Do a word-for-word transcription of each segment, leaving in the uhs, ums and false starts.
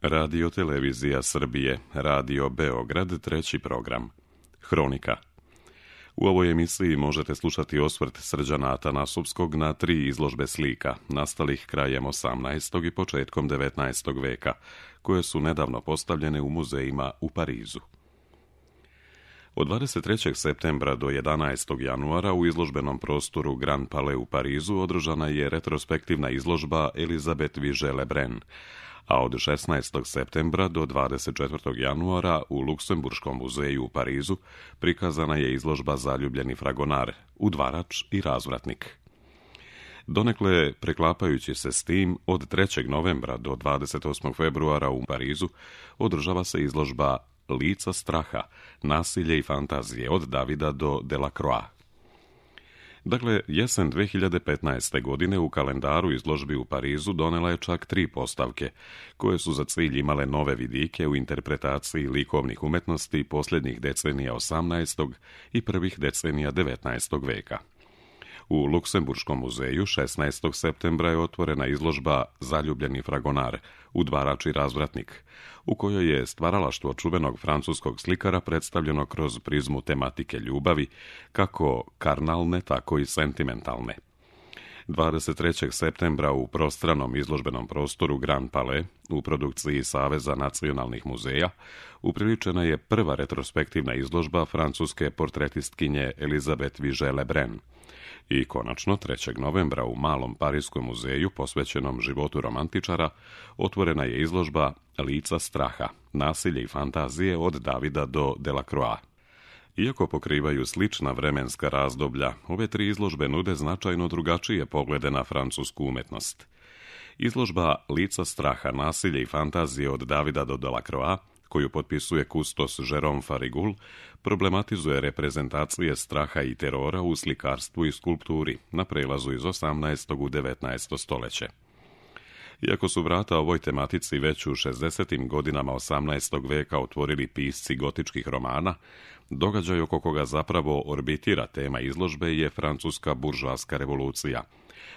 Radio Televizija Srbije, Radio Beograd, treći program. Hronika. U ovoj emisiji možete slušati osvrt Srđana Atanasovskog na tri izložbe slika, nastalih krajem osamnaestog i početkom devetnaestog veka, koje su nedavno postavljene u muzejima u Parizu. Od dvadeset trećeg septembra do jedanaestog januara u izložbenom prostoru Grand Palais u Parizu održana je retrospektivna izložba Elisabeth Vigée-Lebrun, a od šesnaestog septembra do dvadeset četvrtog januara u Luksemburškom muzeju u Parizu prikazana je izložba Zaljubljeni fragonar, udvarač i razvratnik. Donekle preklapajući se s tim, od trećeg novembra do dvadeset osmog februara u Parizu održava se izložba Lica straha, nasilje i fantazije od Davida do Delacroix. Dakle, jesen dve hiljade petnaeste. godine u kalendaru izložbi u Parizu donela je čak tri postavke, koje su za cilj imale nove vidike u interpretaciji likovnih umetnosti posljednjih decenija osamnaestog i prvih decenija devetnaestog veka. U Luksemburškom muzeju šesnaestog septembra je otvorena izložba Zaljubljeni fragonar, udvarač i razvratnik, u kojoj je stvaralaštvo čuvenog francuskog slikara predstavljeno kroz prizmu tematike ljubavi, kako karnalne, tako i sentimentalne. dvadeset trećeg septembra u prostranom izložbenom prostoru Grand Palais u produkciji Saveza nacionalnih muzeja upriličena je prva retrospektivna izložba francuske portretistkinje Elisabeth Vigée-Lebrun. I konačno, trećeg novembra u Malom pariskom muzeju posvećenom životu romantičara otvorena je izložba Lica straha, nasilje i fantazije od Davida do Delacroix. Iako pokrivaju slična vremenska razdoblja, ove tri izložbe nude značajno drugačije poglede na francusku umetnost. Izložba Lica straha, nasilje i fantazije od Davida do Delacroix, koju potpisuje kustos Jérôme Farigul, problematizuje reprezentacije straha i terora u slikarstvu i skulpturi na prelazu iz osamnaestog u devetnaesto stoljeće. Iako su vrata ovoj tematici već u šezdesetim godinama osamnaestog veka otvorili pisci gotičkih romana, događaj oko koga zapravo orbitira tema izložbe je francuska buržoaska revolucija,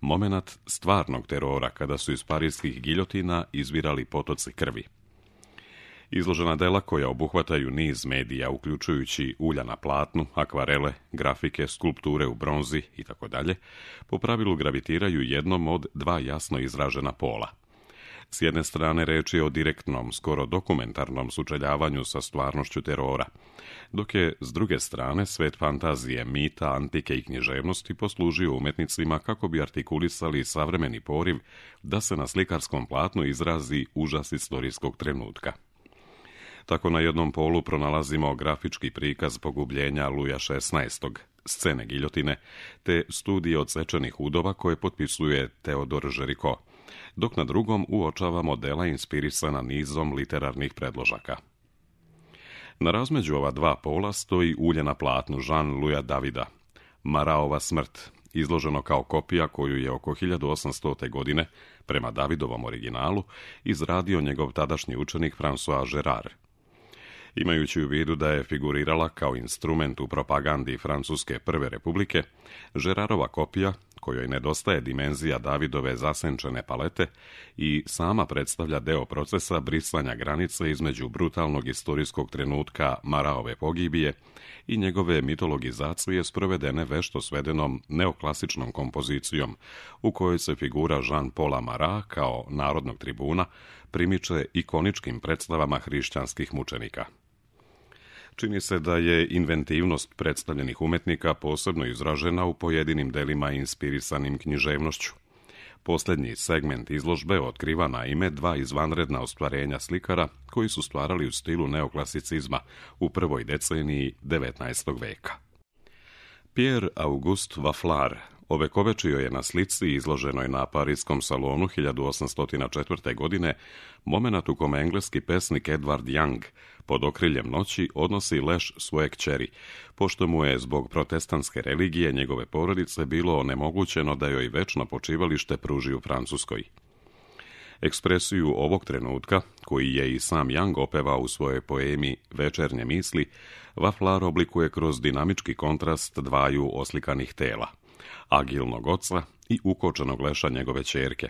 momenat stvarnog terora kada su iz parijskih giljotina izvirali potoci krvi. Izložena dela koja obuhvataju niz medija, uključujući ulja na platnu, akvarele, grafike, skulpture u bronzi itd., po pravilu gravitiraju jednom od dva jasno izražena pola. S jedne strane reč je o direktnom, skoro dokumentarnom sučeljavanju sa stvarnošću terora, dok je s druge strane svet fantazije, mita, antike i književnosti poslužio umetnicima kako bi artikulisali savremeni poriv da se na slikarskom platnu izrazi užas istorijskog trenutka. Tako na jednom polu pronalazimo grafički prikaz pogubljenja Luja šesnaestog, scene giljotine, te studije odsečenih udova koje potpisuje Teodor Géricault, dok na drugom uočavamo dela inspirisana nizom literarnih predložaka. Na razmeđu ova dva pola stoji ulje na platnu Jean-Louisa Davida, Maraova smrt, izloženo kao kopija koju je oko hiljadu osamstote. godine, prema Davidovom originalu, izradio njegov tadašnji učenik François Gérard. Imajući u vidu da je figurirala kao instrument u propagandi Francuske prve republike, Gérardova kopija, kojoj nedostaje dimenzija Davidove zasenčene palete i sama predstavlja deo procesa brisanja granice između brutalnog istorijskog trenutka Maraove pogibije i njegove mitologizacije sprovedene vešto svedenom neoklasičnom kompozicijom, u kojoj se figura Jean-Paula Marat kao narodnog tribuna primiče ikoničkim predstavama hrišćanskih mučenika. Čini se da je inventivnost predstavljenih umetnika posebno izražena u pojedinim delima inspirisanim književnošću. Posljednji segment izložbe otkriva naime dva izvanredna ostvarenja slikara koji su stvarali u stilu neoklasicizma u prvoj deceniji devetnaestog veka. Pierre Auguste Vafflar ovekovečio je na slici izloženoj na Pariskom salonu hiljadu osamsto četvrte. godine momenat u kome engleski pesnik Edward Young pod okriljem noći odnosi leš svoje kćeri, pošto mu je zbog protestantske religije njegove porodice bilo onemogućeno da joj večno počivalište pruži u Francuskoj. Ekspresiju ovog trenutka, koji je i sam Young opevao u svojoj poemi Večernje misli, Vafflar oblikuje kroz dinamički kontrast dvaju oslikanih tela, agilnog oca i ukočenog leša njegove ćerke,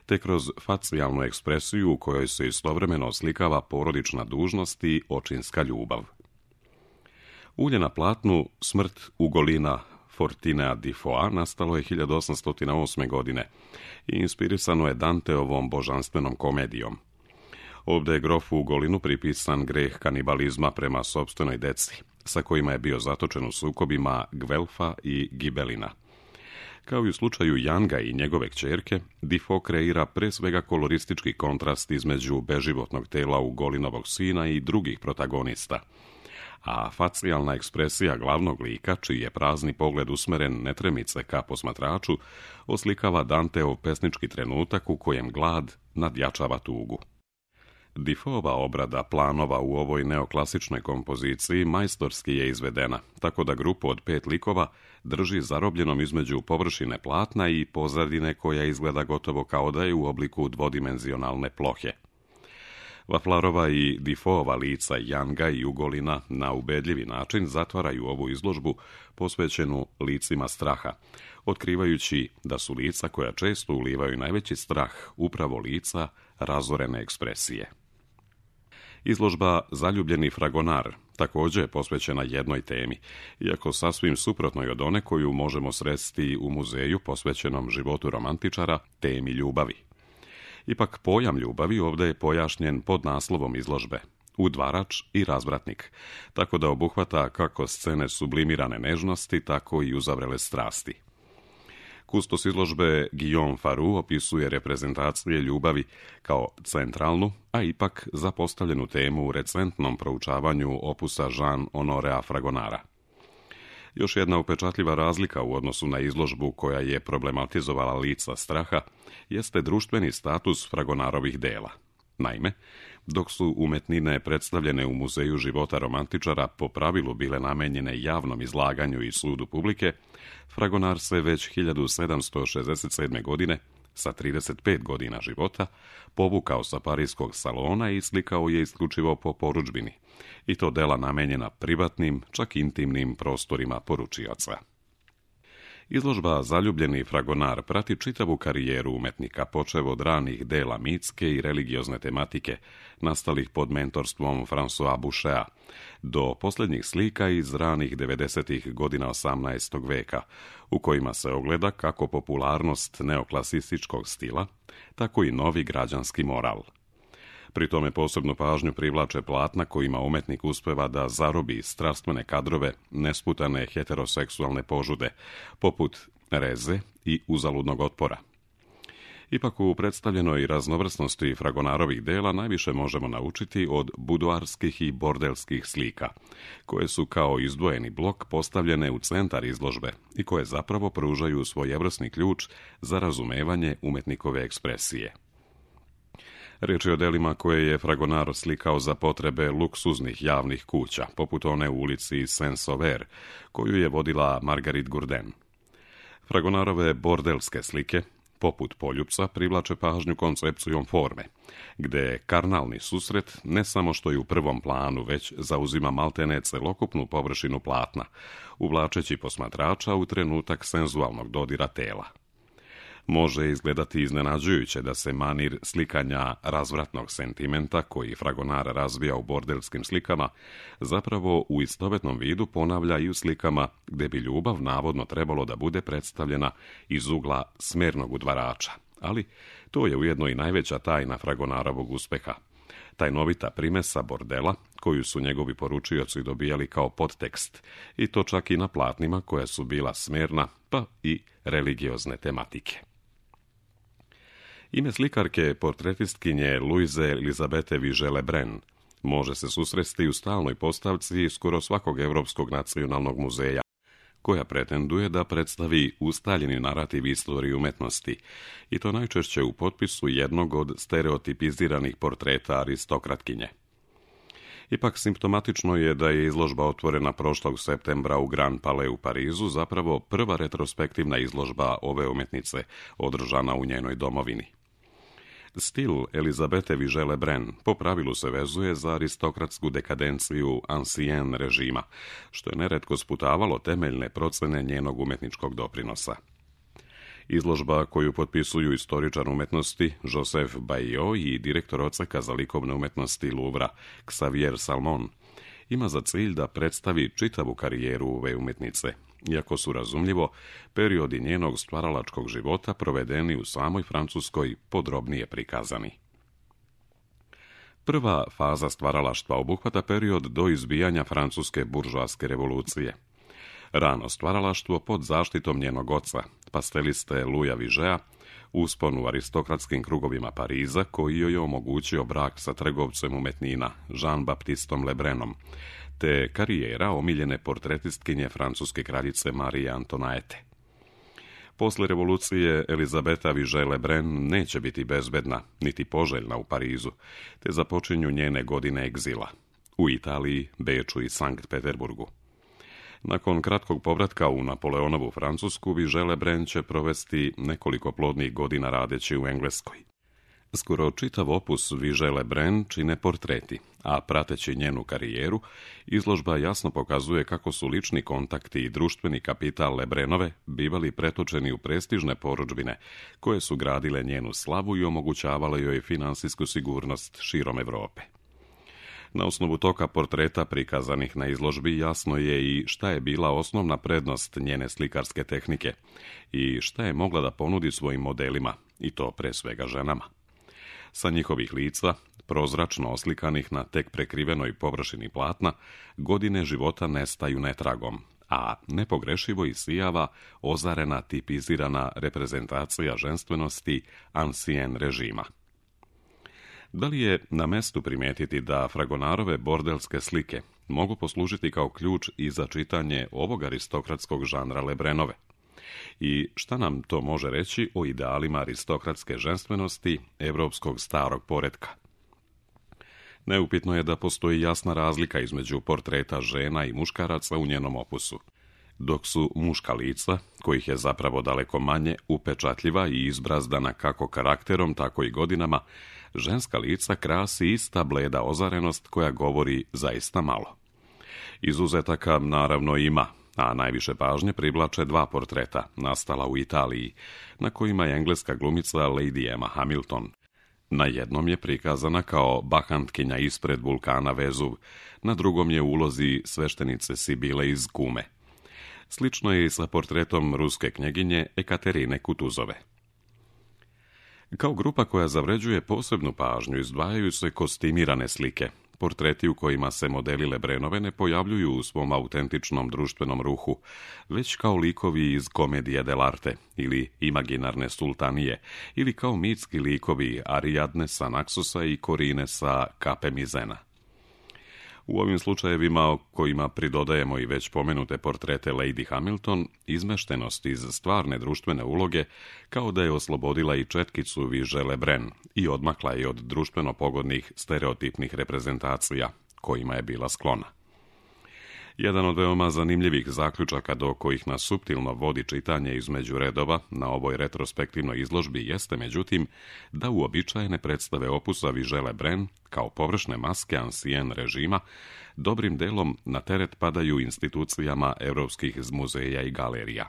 te kroz facijalnu ekspresiju u kojoj se istovremeno oslikava porodična dužnost i očinska ljubav. Ulje na platnu Smrt Ugolina Fortinea Defoea nastalo je hiljadu osamsto osme. godine i inspirisano je Danteovom božanstvenom komedijom. Ovdje je grofu Ugolinu pripisan greh kanibalizma prema sopstvenoj deci, sa kojima je bio zatočen u sukobima Gvelfa i Gibelina. Kao i u slučaju Janga i njegove kćerke, Defoe kreira pre svega koloristički kontrast između beživotnog tela Ugolinovog sina i drugih protagonista, a facijalna ekspresija glavnog lika, čiji je prazni pogled usmeren netremice ka posmatraču, oslikava Danteov pesnički trenutak u kojem glad nadjačava tugu. Defoeova obrada planova u ovoj neoklasičnoj kompoziciji majstorski je izvedena, tako da grupu od pet likova drži zarobljenom između površine platna i pozadine koja izgleda gotovo kao da je u obliku dvodimenzionalne plohe. Vaflarova i Defoeova lica Janga i Ugolina na ubedljivi način zatvaraju ovu izložbu posvećenu licima straha, otkrivajući da su lica koja često ulivaju najveći strah upravo lica razorene ekspresije. Izložba Zaljubljeni fragonar također je posvećena jednoj temi, iako sasvim suprotnoj od one koju možemo sresti u muzeju posvećenom životu romantičara, temi ljubavi. Ipak pojam ljubavi ovdje je pojašnjen pod naslovom izložbe Udvarač i razvratnik, tako da obuhvata kako scene sublimirane nežnosti, tako i uzavrele strasti. Kustos izložbe Guillaume Farou opisuje reprezentacije ljubavi kao centralnu, a ipak zapostavljenu temu u recentnom proučavanju opusa Jean-Honorea Fragonara. Još jedna upečatljiva razlika u odnosu na izložbu koja je problematizovala lica straha jeste društveni status Fragonarovih dela. Naime, dok su umetnine predstavljene u Muzeju života romantičara po pravilu bile namenjene javnom izlaganju i sudu publike, Fragonar se već hiljadu sedamsto šezdeset sedme. godine, sa trideset pet godina života, povukao sa parijskog salona i slikao je isključivo po porudžbini, i to dela namenjena privatnim, čak intimnim prostorima poručioca. Izložba Zaljubljeni fragonar prati čitavu karijeru umetnika, počev od ranih dela mitske i religiozne tematike, nastalih pod mentorstvom François Bouchea, do posljednjih slika iz ranih devedesetih godina osamnaestog veka, u kojima se ogleda kako popularnost neoklasističkog stila, tako i novi građanski moral. Pri tome posebnu pažnju privlače platna kojima umetnik uspeva da zarobi strastvene kadrove nesputane heteroseksualne požude, poput Reze i Uzaludnog otpora. Ipak u predstavljenoj raznovrsnosti Fragonarovih dela najviše možemo naučiti od buduarskih i bordelskih slika, koje su kao izdvojeni blok postavljene u centar izložbe i koje zapravo pružaju svojevrsni ključ za razumevanje umetnikove ekspresije. Riječ je o delima koje je Fragonar slikao za potrebe luksuznih javnih kuća, poput one u ulici Saint-Sauveur, koju je vodila Marguerite Gourdin. Fragonarove bordelske slike, poput Poljupca, privlače pažnju koncepcijom forme, gde karnalni susret ne samo što je u prvom planu, već zauzima maltene celokupnu površinu platna, uvlačeći posmatrača u trenutak senzualnog dodira tela. Može izgledati iznenađujuće da se manir slikanja razvratnog sentimenta, koji Fragonar razvija u bordelskim slikama, zapravo u istovetnom vidu ponavlja i u slikama gde bi ljubav navodno trebalo da bude predstavljena iz ugla smernog udvarača. Ali to je ujedno i najveća tajna Fragonarovog uspeha. Tajnovita primesa bordela, koju su njegovi poručioci dobijali kao podtekst, i to čak i na platnima koja su bila smerna, pa i religiozne tematike. Ime slikarke portretistkinje Louise Elizabete Vigée-Lebrun može se susresti u stalnoj postavci skoro svakog Evropskog nacionalnog muzeja, koja pretenduje da predstavi ustaljeni narativ istorije umetnosti, i to najčešće u potpisu jednog od stereotipiziranih portreta aristokratkinje. Ipak simptomatično je da je izložba otvorena prošlog septembra u Grand Palais u Parizu, zapravo prva retrospektivna izložba ove umetnice održana u njenoj domovini. Stil Elizabete Vigée-Lebrun po pravilu se vezuje za aristokratsku dekadenciju ancien režima, što je neretko sputavalo temeljne procene njenog umetničkog doprinosa. Izložba koju potpisuju istoričar umetnosti Joseph Bayot i direktor odseka za likovne umetnosti Louvra Xavier Salmon ima za cilj da predstavi čitavu karijeru ove umjetnice, iako su, razumljivo, periodi njenog stvaralačkog života provedeni u samoj Francuskoj podrobnije prikazani. Prva faza stvaralaštva obuhvata period do izbijanja francuske buržoaske revolucije. Rano stvaralaštvo pod zaštitom njenog oca, pasteliste Louisa Vigea, uspon u aristokratskim krugovima Pariza, koji joj je omogućio brak sa trgovcem umetnina Jean-Baptistom Lebrenom, te karijera omiljene portretistkinje francuske kraljice Marije Antoinette. Posle revolucije Elizabeta Vigée Lebrun neće biti bezbedna, niti poželjna u Parizu, te započinju njene godine egzila u Italiji, Beču i Sankt Peterburgu. Nakon kratkog povratka u Napoleonovu Francusku, Vigée Lebrun će provesti nekoliko plodnih godina radeći u Engleskoj. Skoro čitav opus Vigée Lebrun čine portreti, a prateći njenu karijeru, izložba jasno pokazuje kako su lični kontakti i društveni kapital Lebrunove bivali pretočeni u prestižne porudžbine, koje su gradile njenu slavu i omogućavale joj finansijsku sigurnost širom Evrope. Na osnovu toga portreta prikazanih na izložbi jasno je i šta je bila osnovna prednost njene slikarske tehnike i šta je mogla da ponudi svojim modelima, i to pre svega ženama. Sa njihovih lica, prozračno oslikanih na tek prekrivenoj površini platna, godine života nestaju netragom, a nepogrešivo isijava ozarena tipizirana reprezentacija ženstvenosti ancien režima. Da li je na mestu primijetiti da Fragonarove bordelske slike mogu poslužiti kao ključ i za čitanje ovog aristokratskog žanra Lebrunove? I šta nam to može reći o idealima aristokratske ženstvenosti evropskog starog poretka? Neupitno je da postoji jasna razlika između portreta žena i muškaraca u njenom opusu, dok su muška lica, kojih je zapravo daleko manje, upečatljiva i izbrazdana kako karakterom, tako i godinama, ženska lica krasi ista bleda ozarenost koja govori zaista malo. Izuzetaka naravno ima, a najviše pažnje privlače dva portreta, nastala u Italiji, na kojima je engleska glumica Lady Emma Hamilton. Na jednom je prikazana kao bahantkinja ispred vulkana Vezuv, na drugom je u ulozi sveštenice Sibile iz Kume. Slično je i sa portretom ruske knjeginje Ekaterine Kutuzove. Kao grupa koja zavređuje posebnu pažnju izdvajaju se kostimirane slike, portreti u kojima se modeli Lebrunove ne pojavljuju u svom autentičnom društvenom ruhu, već kao likovi iz komedije dell'arte ili imaginarne sultanije, ili kao mitski likovi Ariadne sa Naksusa i Korine sa Kape Mizena. U ovim slučajevima, kojima pridodajemo i već pomenute portrete Lady Hamilton, izmeštenost iz stvarne društvene uloge kao da je oslobodila i četkicu Vigée Lebrun i odmakla je od društveno pogodnih stereotipnih reprezentacija, kojima je bila sklona. Jedan od veoma zanimljivih zaključaka do kojih nas suptilno vodi čitanje između redova na ovoj retrospektivnoj izložbi jeste, međutim, da uobičajene predstave opusa Vigée Lebrun, kao površne maske ancien režima, dobrim delom na teret padaju institucijama evropskih muzeja i galerija.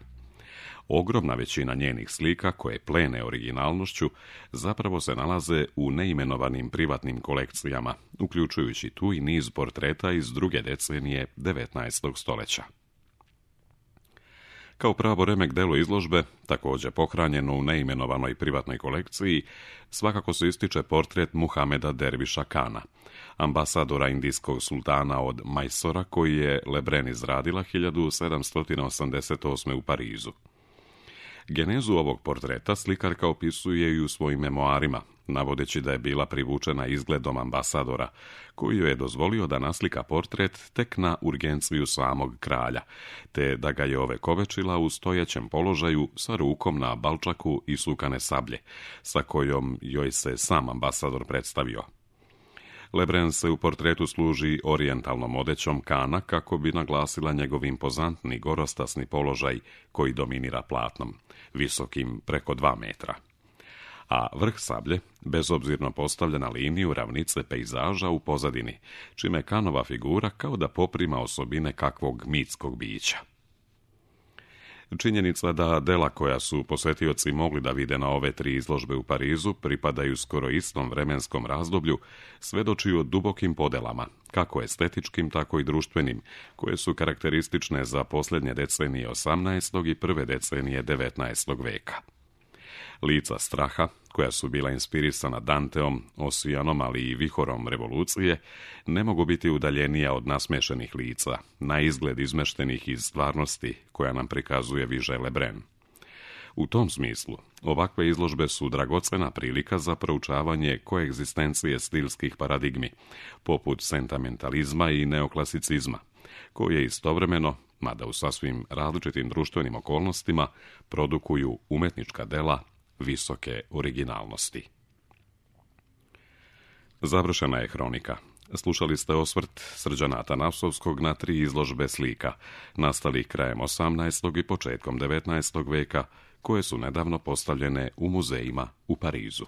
Ogromna većina njenih slika, koje plene originalnošću, zapravo se nalaze u neimenovanim privatnim kolekcijama, uključujući tu i niz portreta iz druge decenije devetnaestog stoljeća. Kao pravo remek delo izložbe, također pohranjeno u neimenovanoj privatnoj kolekciji, svakako se ističe portret Muhameda Derviša Kana, ambasadora indijskog sultana od Majsora, koji je Lebrun izradila hiljadu sedamsto osamdeset osme u Parizu. Genezu ovog portreta slikarka opisuje i u svojim memoarima, navodeći da je bila privučena izgledom ambasadora, koji joj je dozvolio da naslika portret tek na urgenciju samog kralja, te da ga je ovekovečila u stojećem položaju sa rukom na balčaku i sukane sablje, sa kojom joj se sam ambasador predstavio. Lebrun se u portretu služi orijentalnom odećom Kana kako bi naglasila njegov impozantni gorostasni položaj koji dominira platnom, visokim preko dva metra. A vrh sablje bezobzirno postavlja na liniju ravnice pejzaža u pozadini, čime Kanova figura kao da poprima osobine kakvog mitskog bića. Činjenica da dela koja su posjetioci mogli da vide na ove tri izložbe u Parizu pripadaju skoro istom vremenskom razdoblju, svedoči o dubokim podelama, kako estetičkim, tako i društvenim, koje su karakteristične za posljednje decenije osamnaestog i prve decenije devetnaestog veka. Lica straha, koja su bila inspirisana Danteom, Osijanom, ali i vihorom revolucije, ne mogu biti udaljenija od nasmešenih lica, na izgled izmeštenih iz stvarnosti koja nam prikazuje Viže Lebrun. U tom smislu, ovakve izložbe su dragocena prilika za proučavanje koegzistencije stilskih paradigmi, poput sentimentalizma i neoklasicizma, koje istovremeno, mada u sasvim različitim društvenim okolnostima, produkuju umetnička dela visoke originalnosti. Završena je hronika. Slušali ste osvrt Srđana Atanasovskog na tri izložbe slika, nastalih krajem osamnaestog i početkom devetnaestog veka, koje su nedavno postavljene u muzejima u Parizu.